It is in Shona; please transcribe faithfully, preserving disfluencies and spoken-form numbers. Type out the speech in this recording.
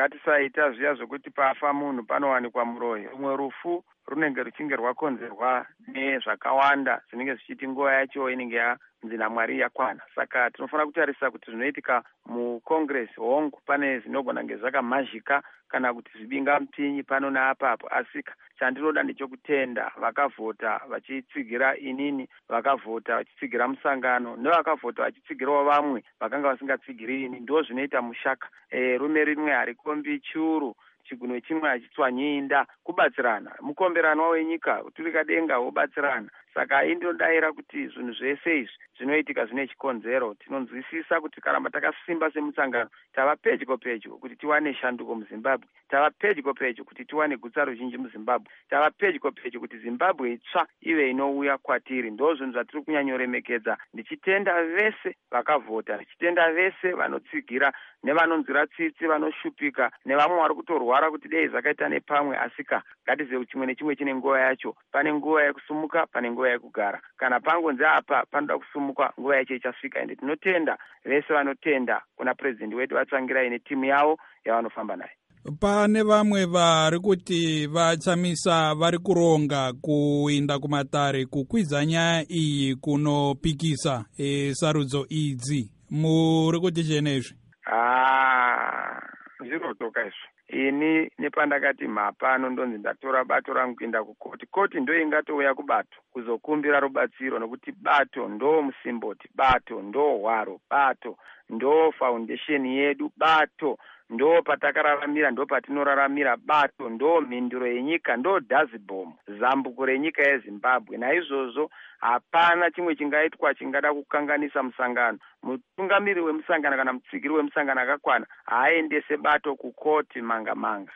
Ngatisaita zviya zvokuti pafa munhu panowanikwa muroyi. Rumwe rufu runenge ruchinge rwakonzerwa nezvakawanda zvinenge zvichiti nguva yacho inenge yanzi naMwari yakwana. Saka tinofanira kutarisa kuti zvinoitika muCongress, hongu, pane zvinogona kunge zvakamhazhika kana kuti zvibingamupinyi pano neapapo, asika chandinoda ndechokutenda vakavhota vachitsigira inini, vakavhota vachitsigira musangano, nevakavhota vachitsigirawo vamwe vakanga vasingatsigiri ini. Ndo zvinoita mushaka. E, rume rimwe harikombi churu, chigunwe chimwe hachitswanyi inda. Kubatsirana, mukomberanwa wenyika, kuturika denga wobatsirana. Saka indinodayira kuti zvinhu zvese izvi zvinoitika zvine chikonzero. Tinonzwisisa kuti tikaramba takasimba semusangano, tava pedyo pedyo kuti tiwane shanduko muZimbabwe, tava pedyo pedyo kuti tiwane gutsa ruzhinji muZimbabwe, tava pedyo pedyo kuti Zimbabwe itsva ive inouya kwatiri. Ndo zvinhu zvatiri kunyanyoremekedza, ndichitenda vese vakavhota, ndichitenda vese vanotsigira nevanonzwira tsitsi vanoshupika nevamwe vari kutorwara kuti dei zvakaita nepamwe. Asika ngatizive kuti chimwe nechimwe chine nguva yacho. Pane nguva yekusumuka, pane nguva yekugara. Kana pangonzi apa panoda kusumuka, nguva yacho ichasvika. Ende tinotenda vese vanotenda kuna purezidendi wedu vaTsvangirai netimu yavo yavanofamba nayo. Pane vamwe vari kuti vaChamisa vari kuronga kuinda kumatare kukwidza nyaya iyi kunopikisa e, sarudzo idzi. Muri kuti chenezvi? Zvirotoka izvo. Ini nepandakati mhapano, ndonzi ndatora bato rangu kuenda kukoti. Koti ndo ingatouya kubato kuzokumbira rubatsiro, nokuti bato ndo musimboti, bato ndo hwaro, bato ndo foundation yedu, bato ndo patakararamira, ndo patinoraramira, bato ndo mhinduro yenyika, ndo dhazibhomu, zambuko renyika yeZimbabwe. Naizvozvo hapana chimwe chingaitwa chingada kukanganisa musangano. Mutungamiri wemusangano kana mutsigiri wemusangano akakwana haaendese bato kukoti manga manga.